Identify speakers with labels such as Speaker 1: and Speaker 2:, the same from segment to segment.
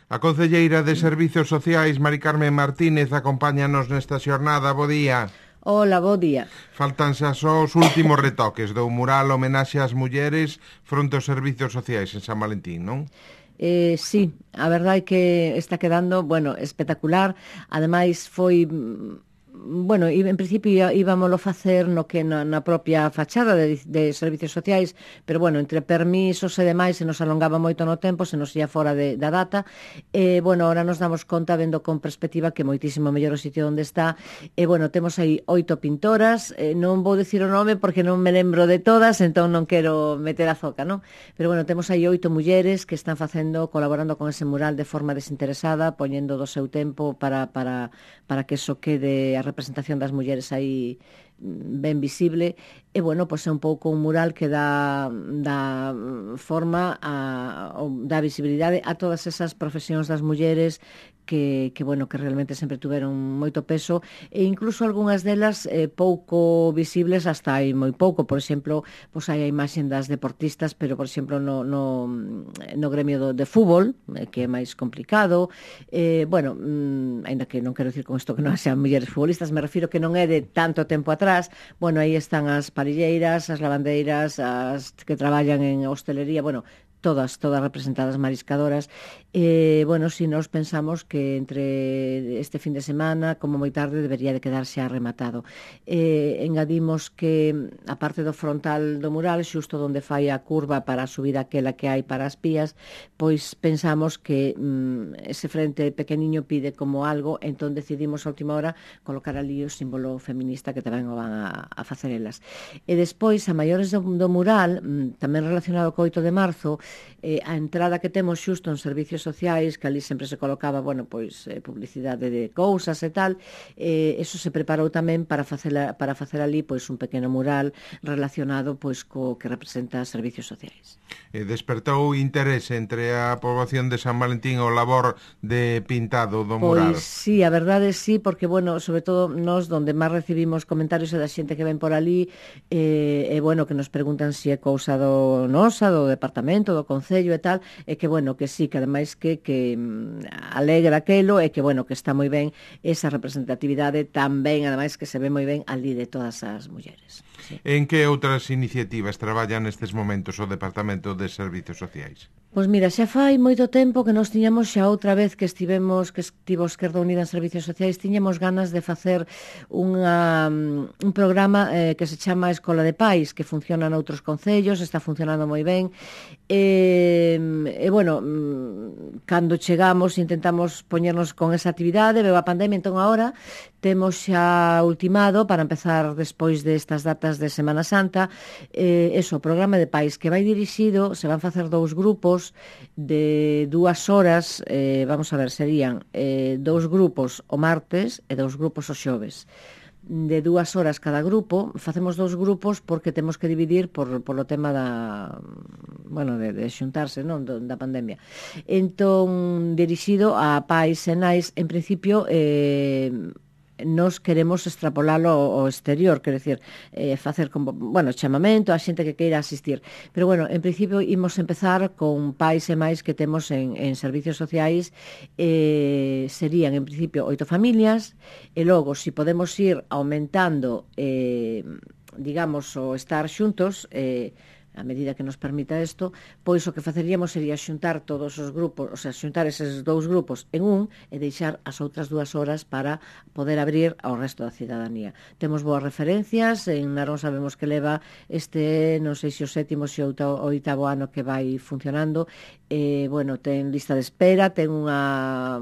Speaker 1: A concelleira de Servizos Sociais, Mari Carmen Martínez, acompáñanos nesta xornada. Bo día.
Speaker 2: Hola, bo día.
Speaker 1: Faltan xa só os últimos retoques do mural homenaxe ás mulleres fronte aos servizos sociais en San Valentín, non?
Speaker 2: Sí, a verdade é que está quedando, espectacular. Ademais foi... en principio íbamoslo facer no que na propia fachada de servizos sociais, pero entre permisos e demais se nos alongaba moito no tempo, se nos ia fora da data, ahora nos damos conta, vendo con perspectiva, que moitísimo mellor o sitio onde está, temos aí 8 pintoras, non vou dicir o nome porque non me lembro de todas, entón non quero meter a zoca, non? Pero temos aí 8 mulleres que están colaborando con ese mural de forma desinteresada, poñendo do seu tempo para que eso quede a representación das mulleres aí ben visible. É un pouco un mural que dá forma, dá visibilidade a todas esas profesións das mulleres que realmente sempre tuveron moito peso, e incluso algunhas delas pouco visibles hasta hai moi pouco. Por exemplo, hai a imaxe das deportistas, pero por exemplo no gremio de fútbol, que é máis complicado, ainda que non quero dicir con isto que non sean mulleres futbolistas, me refiro que non é de tanto tempo atrás. Aí están as parilleiras, as lavandeiras, as que traballan en hostelería, todas representadas, mariscadoras. Si nos pensamos que entre este fin de semana, como moi tarde, debería de quedarse arrematado. Engadimos que a parte do frontal do mural, xusto onde fai a curva para a subida aquela que hai para as pías, pois pensamos que ese frente pequeniño pide como algo, entón decidimos a última hora colocar ali o símbolo feminista que tamén o van a facer elas. E despois, a maiores do mural, tamén relacionado co 8 de marzo, a entrada que temos xusto en servizos sociais, que ali sempre se colocaba publicidade de cousas e tal, eso se preparou tamén para facer ali un pequeno mural relacionado co que representa servizos sociais.
Speaker 1: Despertou interese entre a poboación de San Valentín o labor de pintado do mural?
Speaker 2: Pois sí, a verdade sí, porque sobre todo nós donde máis recibimos comentarios é da xente que ven por ali, que nos preguntan se é cousa do nosa, do departamento, do concello e tal, e que que sí, que ademais que alegra aquelo, e que que está moi ben esa representatividade tamén, ademais que se ve moi ben ali de todas as mulleres. Sí.
Speaker 1: En que outras iniciativas traballan nestes momentos o Departamento de Servizos Sociais?
Speaker 2: Pois mira, xa fai moito tempo que nos tiñamos, xa outra vez que estivo Esquerda Unida en Servizos Sociais, tiñamos ganas de facer un programa que se chama Escola de Pais, que funciona noutros concellos, está funcionando moi ben. Cando chegamos intentamos poñernos con esa actividade, veo a pandemia, entón agora temos xa ultimado para empezar despois destas datas de Semana Santa, o programa de pais que vai dirixido, se van facer 2 grupos de 2 horas, serían 2 grupos o martes e 2 grupos o xoves. De 2 horas cada grupo, facemos 2 grupos porque temos que dividir polo tema de xuntarse, non, da pandemia. Entón, dirixido a pais e nais, en principio, nos queremos extrapolalo ao exterior, quero dicir, facer chamamento a xente que queira asistir. Pero en principio imos empezar con pais e máis que temos en servizos sociais, serían en principio 8 familias, e logo, se podemos ir aumentando o estar xuntos, a medida que nos permita isto, pois o que faceríamos sería xuntar todos os grupos, xuntar eses 2 grupos en un e deixar as outras 2 horas para poder abrir ao resto da cidadanía. Temos boas referencias, en Narón sabemos que leva non sei se o 7º ou o 8º ano que vai funcionando, ten lista de espera, ten unha,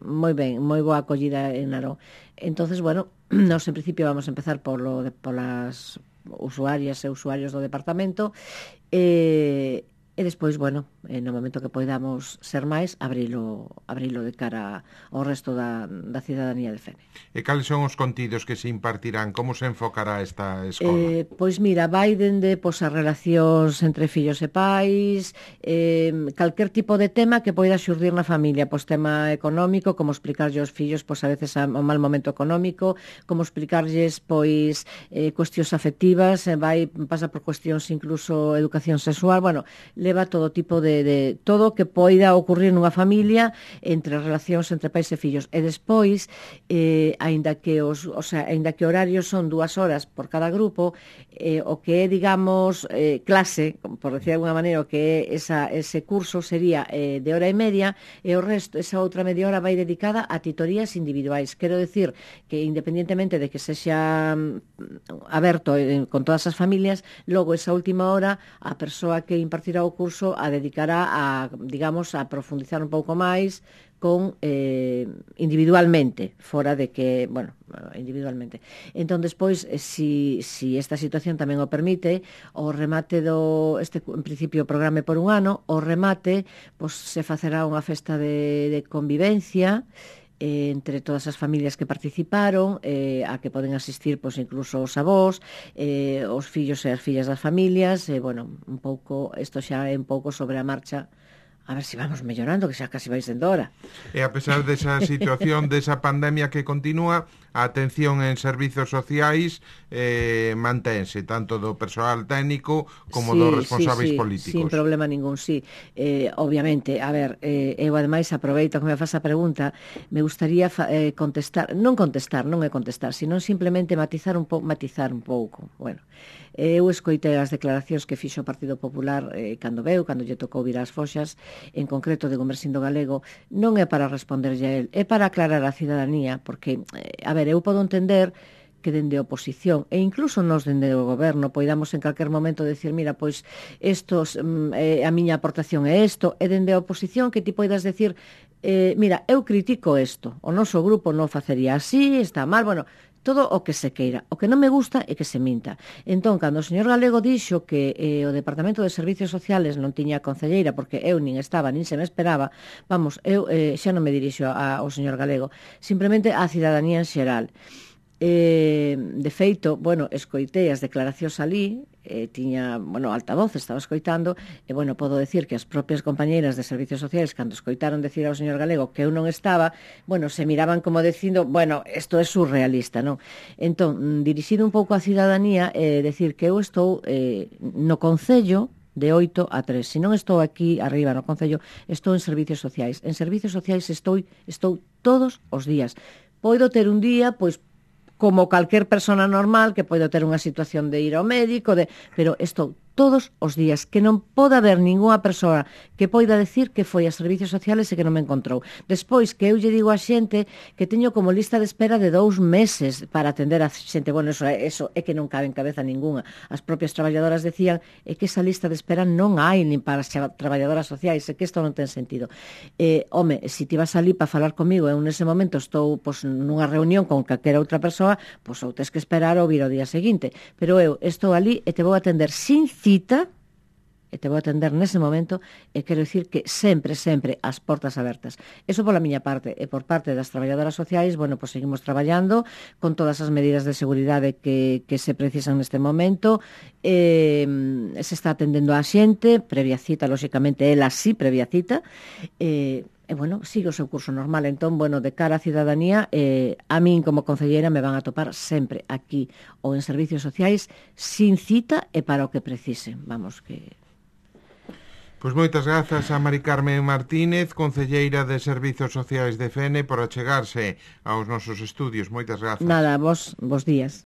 Speaker 2: moi ben, moi boa acollida en Narón. Entonces, nós en principio vamos a empezar polas usuarias e usuarios do departamento, e despois, no momento que poidamos ser máis, abrilo de cara ao resto da cidadanía de Fene.
Speaker 1: E cales son os contidos que se impartirán? Como se enfocará esta escola?
Speaker 2: Pois mira, vai dende as relacións entre fillos e pais, calquer tipo de tema que poida xurdir na familia, tema económico, como explicarlle aos fillos a veces o mal momento económico, como explicarlles cuestións afectivas, pasa por cuestións incluso educación sexual, leva todo tipo de todo o que poida ocurrir nunha familia entre as relacións entre pais e fillos. E despois, aínda que aínda que horarios son 2 horas por cada grupo, o que é, digamos, clase, por decir de alguna maneira, o que é ese curso sería de hora e media, e o resto, esa outra media hora vai dedicada a titorías individuais. Quero decir que, independientemente de que sexa aberto con todas as familias, logo esa última hora a persoa que impartirá o curso a dedicará a, digamos, a profundizar un pouco máis con individualmente, fora de que, bueno, individualmente. Entón, despois, si esta situación tamén o permite, o remate en principio, programa por un ano, o remate, pois, se facerá unha festa de convivencia entre todas as familias que participaron, a que poden asistir, pois, incluso os avós, os fillos e as fillas das familias, bueno, un pouco, isto xa é un pouco sobre a marcha, a ver se vamos mellorando, que xa casi vai sendo hora.
Speaker 1: E a pesar desa situación, desa pandemia que continúa, a atención en servizos sociais mantense, tanto do persoal técnico como dos responsáveis políticos.
Speaker 2: Sin problema ningún, sí. Obviamente, a ver, eu ademais aproveito que me faz a pregunta, me gustaría contestar, non é contestar, sino simplemente matizar un pouco. Bueno, eu escoitei as declaracións que fixo o Partido Popular cando lle tocou vir ás foxas, en concreto de Gomersindo Galego, non é para responderlle a él, é para aclarar a cidadanía, porque, a ver, eu podo entender que dende a oposición, e incluso nos dende o goberno, poidamos en calquer momento decir, mira, pois, a miña aportación é isto, e dende a oposición que ti poidas decir, mira, eu critico isto, o noso grupo non facería así, está mal, bueno, todo o que se queira. O que non me gusta é que se minta. Entón, cando o señor Galego dixo que o Departamento de Servicios Sociales non tiña concelleira, porque eu nin estaba, nin se me esperaba, vamos, eu xa non me dirixo ao señor Galego, simplemente á cidadanía en xeral. De feito, bueno, escoitei as declaracións ali, tiña, bueno, altavoz, estaba escoitando, e, bueno, podo decir que as propias compañeiras de Servicios Sociales, cando escoitaron decir ao señor Galego que eu non estaba, bueno, se miraban como dicindo, bueno, isto é surrealista, non? Entón, dirixido un pouco á cidadanía, decir que eu estou no Concello de 8 a 3. Se non estou aquí arriba no Concello, estou en Servicios Sociais. En Servicios Sociais estou todos os días. Podo ter un día, pois, como calquer persona normal que pode ter unha situación de ir ao médico, pero estou todos os días, que non pode haber ningunha persoa que poida decir que foi a Servicios Sociales e que non me encontrou. Despois, que eu lle digo a xente que teño como lista de espera de 2 meses para atender a xente, bueno, eso é que non cabe en cabeza ningunha. As propias traballadoras decían que esa lista de espera non hai nin para as traballadoras sociais, que isto non ten sentido. Home, se ti vas ali para falar comigo e eu nese momento estou nunha reunión con calquera outra persoa, ou tes que esperar ou vir ao día seguinte. Pero eu estou ali e te vou atender sin cita, e te vou atender nese momento, e quero dicir que sempre as portas abertas. Eso pola miña parte, e por parte das traballadoras sociais, bueno, pois seguimos traballando con todas as medidas de seguridade que se precisan neste momento, se está atendendo a xente, previa cita, lóxicamente, ela sí, previa cita, e, bueno, sigue o seu curso normal. Entón, bueno, de cara á cidadanía, a min como concelleira me van a topar sempre aquí ou en Servicios Sociais sin cita e para o que precisen. Vamos, que...
Speaker 1: Pois moitas grazas a Mari Carmen Martínez, concelleira de Servicios Sociais de Fene, por achegarse aos nosos estudios. Moitas grazas.
Speaker 2: Nada, vos días.